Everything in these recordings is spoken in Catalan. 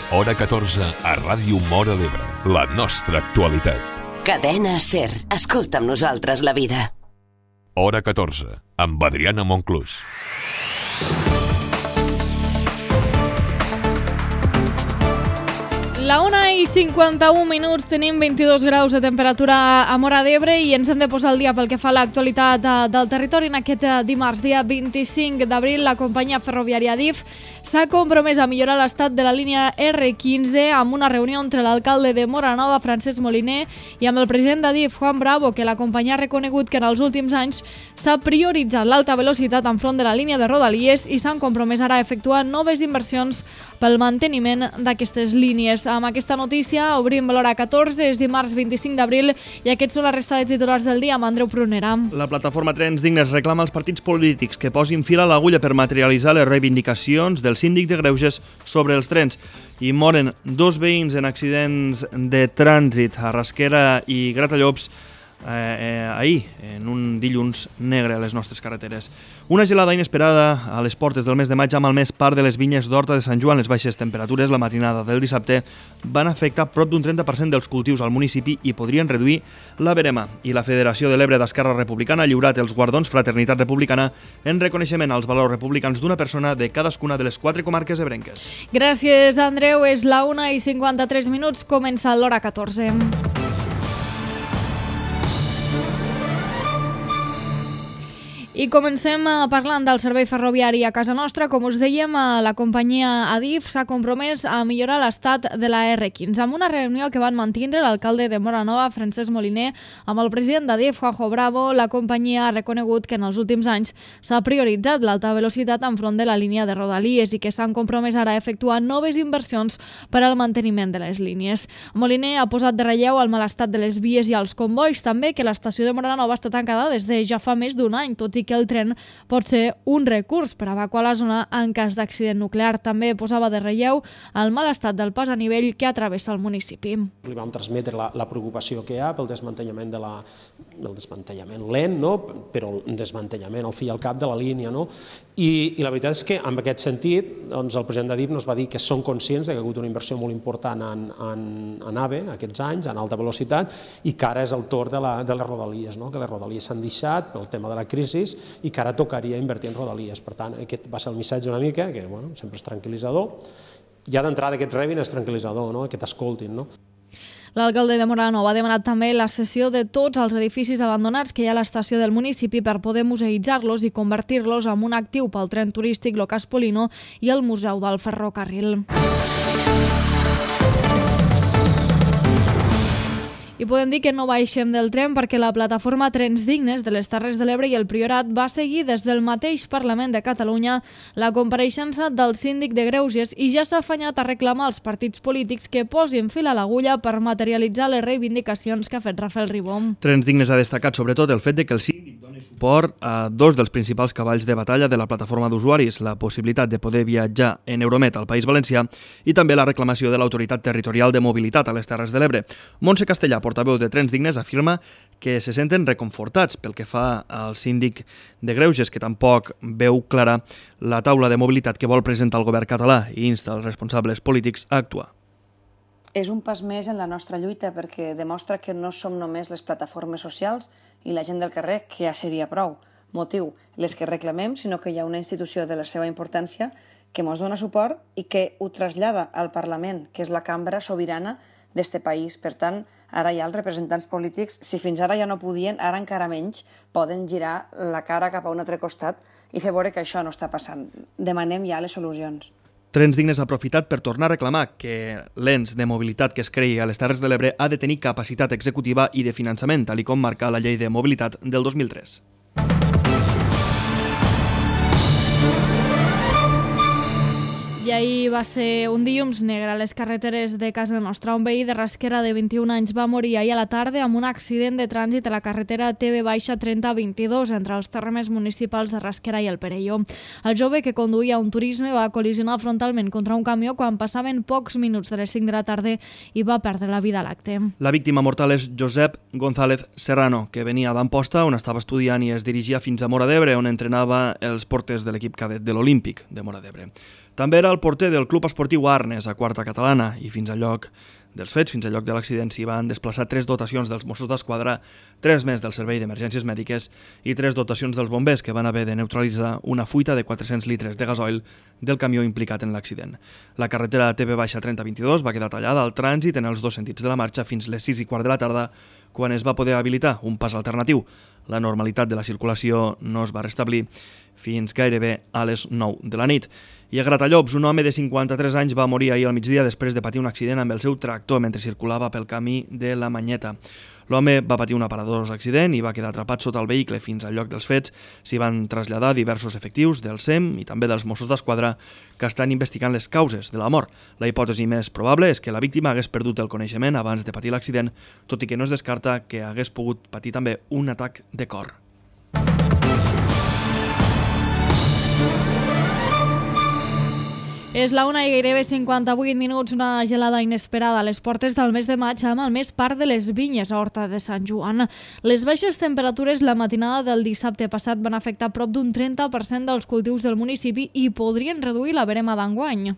Hora 14 a Ràdio Móra d'Ebre. La nostra actualitat. Cadena SER. Escolta amb nosaltres la vida. Hora 14, amb Adriana Monclús. La 1:51, tenim 22 graus de temperatura a Móra d'Ebre i ens hem de posar al dia pel que fa a l'actualitat del territori. En aquest dimarts, dia 25 d'abril, la companyia ferroviària Adif s'ha compromès a millorar l'estat de la línia R15 amb una reunió entre l'alcalde de Móra Nova, Francesc Moliner, i amb el president d'Adif, Juan Bravo, que la companyia ha reconegut que en els últims anys s'ha prioritzat l'alta velocitat enfront de la línia de Rodalies i s'han compromès ara a efectuar noves inversions pel manteniment d'aquestes línies. Amb aquesta notícia obrim l'hora 14, és dimarts 25 d'abril i aquests són la resta de titulars del dia amb Andreu Prunera. La plataforma Trens Dignes reclama als partits polítics que posin fil a l'agulla per materialitzar les reivindicacions del síndic de Greuges sobre els trens. I moren 2 veïns en accidents de trànsit a Rasquera i Gratallops ahir, en un dilluns negre a les nostres carreteres. Una gelada inesperada a les portes del mes de maig ha malmès part de les vinyes d'Horta de Sant Joan. Les baixes temperatures la matinada del dissabte van afectar prop d'un 30% dels cultius al municipi i podrien reduir la verema. I la Federació de l'Ebre d'Esquerra Republicana ha lliurat els guardons Fraternitat Republicana en reconeixement als valors republicans d'una persona de cadascuna de les 4 comarques ebrenques. Gràcies, Andreu. És la 1:53, comença l'hora 14. I comencem parlant del servei ferroviari a casa nostra. Com us dèiem, la companyia Adif s'ha compromès a millorar l'estat de la R15. Amb una reunió que van mantindre l'alcalde de Móra Nova, Francesc Moliner, amb el president d'Adif, Juanjo Bravo, la companyia ha reconegut que en els últims anys s'ha prioritzat l'alta velocitat enfront de la línia de Rodalies i que s'han compromès ara a efectuar noves inversions per al manteniment de les línies. Moliner ha posat de relleu el mal estat de les vies i els convois, també que l'estació de Móra Nova està tancada des de ja fa més d'un any, tot i que el tren pot ser un recurs per evacuar la zona en cas d'accident nuclear. També posava de relleu el mal estat del pas a nivell que travessa el municipi. Li vam transmetre la preocupació que hi ha pel desmantellament del desmantellament lent, no? Però el desmantellament al fi i al cap de la línia. No? I la veritat és que en aquest sentit doncs, el president d'Adif ens va dir que són conscients que hi ha hagut una inversió molt important en AVE aquests anys, en alta velocitat, i que ara és el torn de les Rodalies, no? Que les Rodalies s'han deixat pel tema de la crisi i que ara tocaria invertir en Rodalies. Per tant, aquest va ser el missatge una mica, que bueno, sempre és tranquil·litzador. Ja d'entrada aquest rebin és tranquil·litzador, no? Que t'escoltin. No? L'alcalde de Móra Nova ha demanat també la cessió de tots els edificis abandonats que hi ha a l'estació del municipi per poder museïtzar-los i convertir-los en un actiu pel tren turístic Locas Polino i el Museu del Ferrocarril. I podem dir que no baixem del tren perquè la plataforma Trens Dignes de les Terres de l'Ebre i el Priorat va seguir des del mateix Parlament de Catalunya la compareixença del síndic de Greuges i ja s'ha afanyat a reclamar als partits polítics que posin fil a l'agulla per materialitzar les reivindicacions que ha fet Rafael Ribó. Trens Dignes ha destacat sobretot el fet de que el síndic doni suport a 2 dels principals cavalls de batalla de la plataforma d'usuaris, la possibilitat de poder viatjar en Euromet al País Valencià i també la reclamació de l'Autoritat Territorial de Mobilitat a les Terres de l'Ebre. Montse Castellà, portaveu de Trens Dignes, afirma que se senten reconfortats pel que fa al síndic de Greuges, que tampoc veu clara la taula de mobilitat que vol presentar el govern català i insta els responsables polítics a actuar. És un pas més en la nostra lluita perquè demostra que no som només les plataformes socials i la gent del carrer, que ja seria prou motiu les que reclamem, sinó que hi ha una institució de la seva importància que ens dona suport i que ho trasllada al Parlament, que és la cambra sobirana d'este país. Per tant, ara ja els representants polítics, si fins ara ja no podien, ara encara menys, poden girar la cara cap a un altre costat i fer veure que això no està passant. Demanem ja les solucions. Trens Dignes ha aprofitat per tornar a reclamar que l'ens de mobilitat que es creï a les Terres de l'Ebre ha de tenir capacitat executiva i de finançament, tal com marca la llei de mobilitat del 2003. I ahir va ser un dilluns negre a les carreteres de casa nostra. Un veí de Rasquera de 21 anys va morir ahir a la tarda amb un accident de trànsit a la carretera TV-3022 entre els termes municipals de Rasquera i el Perelló. El jove que conduïa un turisme va col·lisionar frontalment contra un camió quan passaven pocs minuts de les 5 de la tarda i va perdre la vida a l'acte. La víctima mortal és Josep González Serrano, que venia d'Amposta, on estava estudiant i es dirigia fins a Móra d'Ebre, on entrenava els porters de l'equip cadet de l'Olímpic de Móra d'Ebre. També era el porter del Club Esportiu Arnes, a quarta catalana, i fins al lloc dels fets, fins al lloc de l'accident, s'hi van desplaçar 3 dotacions dels Mossos d'Esquadra, 3 més del Servei d'Emergències Mèdiques i 3 dotacions dels bombers que van haver de neutralitzar una fuita de 400 litres de gasoil del camió implicat en l'accident. La carretera TB-3022 va quedar tallada al trànsit en els 2 sentits de la marxa fins les 6:15 de la tarda, quan es va poder habilitar un pas alternatiu. La normalitat de la circulació no es va restablir fins gairebé a les 9 de la nit. I a Gratallops, un home de 53 anys va morir ahir al migdia després de patir un accident amb el seu tractor mentre circulava pel camí de la Manyeta. L'home va patir un aparadós accident i va quedar atrapat sota el vehicle. Fins al lloc dels fets s'hi van traslladar diversos efectius del SEM i també dels Mossos d'Esquadra que estan investigant les causes de la mort. La hipòtesi més probable és que la víctima hagués perdut el coneixement abans de patir l'accident, tot i que no es descarta que hagués pogut patir també un atac de cor. És la 1 i gairebé 58 minuts, una gelada inesperada a les portes del mes de maig amb el més part de les vinyes a Horta de Sant Joan. Les baixes temperatures la matinada del dissabte passat van afectar prop d'un 30% dels cultius del municipi i podrien reduir la verema d'enguany.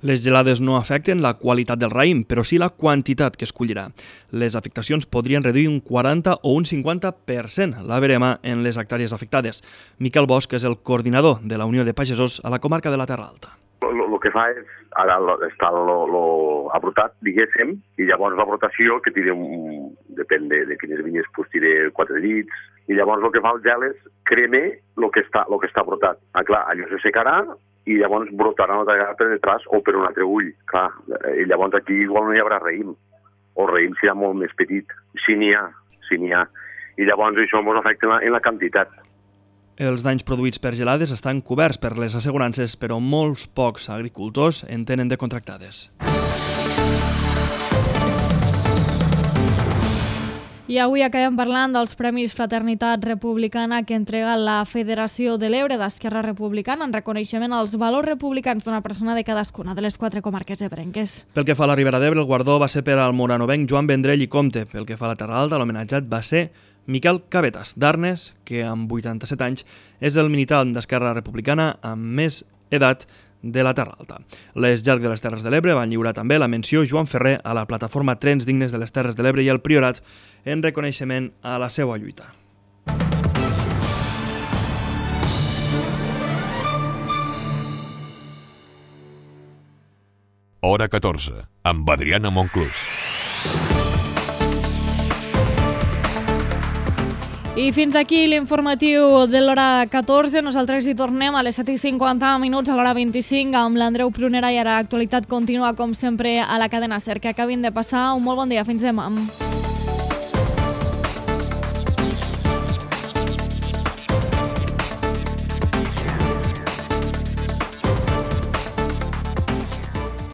Les gelades no afecten la qualitat del raïm, però sí la quantitat que es collirà. Les afectacions podrien reduir un 40 o un 50% la verema en les hectàrees afectades. Miquel Bosch és el coordinador de la Unió de Pagesos a la comarca de la Terra Alta. El que fa és, ara està abrotat, diguéssim, i llavors la brotació, que tira, depèn de quines vinyes, pues tira 4 dits, i llavors el que fa el gel és creme el que està brotat. Clar, allò se secarà i llavors brotarà una altra vegada per detrás o per un altre ull. Clar, i llavors aquí igual no hi haurà raïm, o el raïm serà molt més petit, si n'hi ha. I llavors això ens afecta en la quantitat. Els danys produïts per gelades estan coberts per les assegurances, però molts pocs agricultors en tenen de contractades. I avui acabem parlant dels Premis Fraternitat Republicana que entrega la Federació de l'Ebre d'Esquerra Republicana en reconeixement als valors republicans d'una persona de cadascuna de les 4 comarques ebrenques. Pel que fa a la Ribera d'Ebre, el guardó va ser per al moranovenc Joan Vendrell i Comte. Pel que fa a la Terra Alta, l'homenatjat va ser Miquel Cabetas, d'Arnes, que amb 87 anys és el militant d'Esquerra Republicana amb més edat de la Terra Alta. Les Llarg de les Terres de l'Ebre van lliurar també la menció Joan Ferrer a la plataforma Trens Dignes de les Terres de l'Ebre i el Priorat en reconeixement a la seva lluita. Hora 14, amb Adriana Monclús. I fins aquí l'informatiu de l'hora 14. Nosaltres hi tornem a les 7:50 minuts a l'hora 25 amb l'Andreu Prunera i ara l'actualitat continua com sempre a la cadena SER. Que acabin de passar un molt bon dia. Fins demà.